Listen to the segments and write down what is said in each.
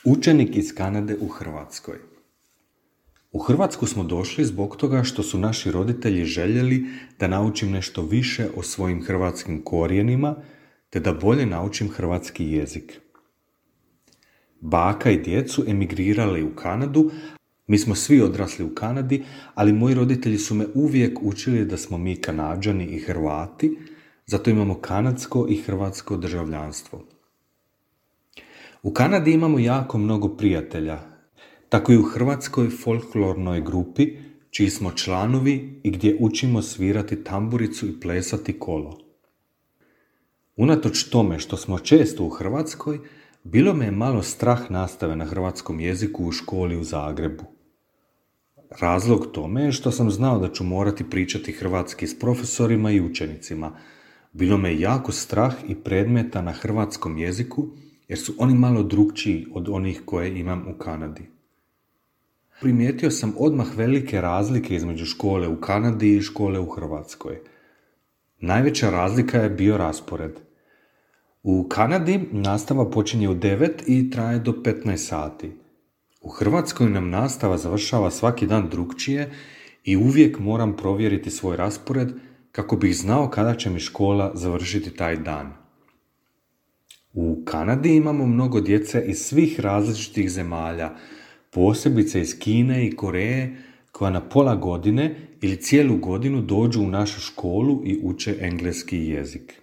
Učenik iz Kanade u Hrvatskoj. U Hrvatsku smo došli zbog toga što su naši roditelji željeli da naučim nešto više o svojim hrvatskim korijenima, te da bolje naučim hrvatski jezik. Baka i djed su emigrirali u Kanadu, mi smo svi odrasli u Kanadi, ali moji roditelji su me uvijek učili da smo mi Kanađani i Hrvati, zato imamo kanadsko i hrvatsko državljanstvo. U Kanadi imamo jako mnogo prijatelja, tako i u hrvatskoj folklornoj grupi, čiji smo članovi i gdje učimo svirati tamburicu i plesati kolo. Unatoč tome što smo često u Hrvatskoj, bilo me je malo strah nastave na hrvatskom jeziku u školi u Zagrebu. Razlog tome je što sam znao da ću morati pričati hrvatski s profesorima i učenicima. Bilo me je jako strah i predmeta na hrvatskom jeziku, jer su oni malo drukčiji od onih koje imam u Kanadi. Primijetio sam odmah velike razlike između škole u Kanadi i škole u Hrvatskoj. Najveća razlika je bio raspored. U Kanadi nastava počinje u 9 i traje do 15 sati. U Hrvatskoj nam nastava završava svaki dan drukčije i uvijek moram provjeriti svoj raspored kako bih znao kada će mi škola završiti taj dan. U Kanadi imamo mnogo djece iz svih različitih zemalja, posebice iz Kine i Koreje, koja na pola godine ili cijelu godinu dođu u našu školu i uče engleski jezik.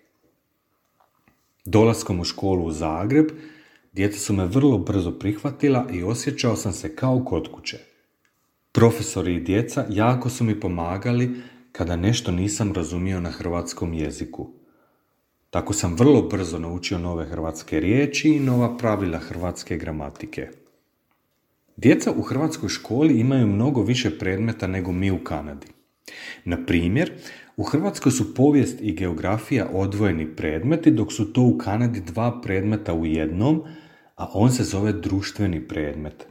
Dolaskom u školu u Zagreb, djeca su me vrlo brzo prihvatila i osjećao sam se kao kod kuće. Profesori i djeca jako su mi pomagali kada nešto nisam razumio na hrvatskom jeziku. Tako sam vrlo brzo naučio nove hrvatske riječi i nova pravila hrvatske gramatike. Djeca u hrvatskoj školi imaju mnogo više predmeta nego mi u Kanadi. Na primjer, u Hrvatskoj su povijest i geografija odvojeni predmeti, dok su to u Kanadi 2 predmeta u jednom, a on se zove društveni predmet.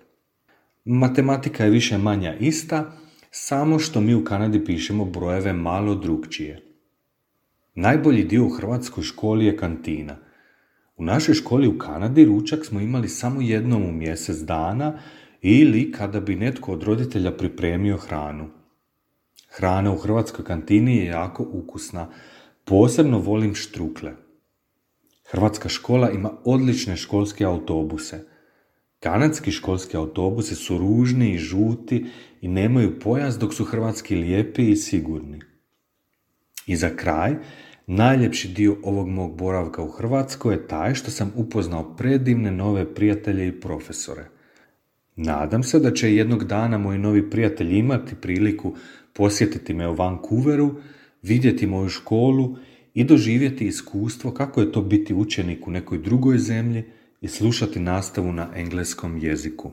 Matematika je više manja ista, samo što mi u Kanadi pišemo brojeve malo drukčije. Najbolji dio u hrvatskoj školi je kantina. U našoj školi u Kanadi ručak smo imali samo jednom u mjesec dana ili kada bi netko od roditelja pripremio hranu. Hrana u hrvatskoj kantini je jako ukusna, posebno volim štrukle. Hrvatska škola ima odlične školske autobuse. Kanadski školski autobusi su ružni i žuti i nemaju pojas, dok su hrvatski lijepi i sigurni. I za kraj, najljepši dio ovog mog boravka u Hrvatskoj je taj što sam upoznao predivne nove prijatelje i profesore. Nadam se da će jednog dana moji novi prijatelji imati priliku posjetiti me u Vancouveru, vidjeti moju školu i doživjeti iskustvo kako je to biti učenik u nekoj drugoj zemlji i slušati nastavu na engleskom jeziku.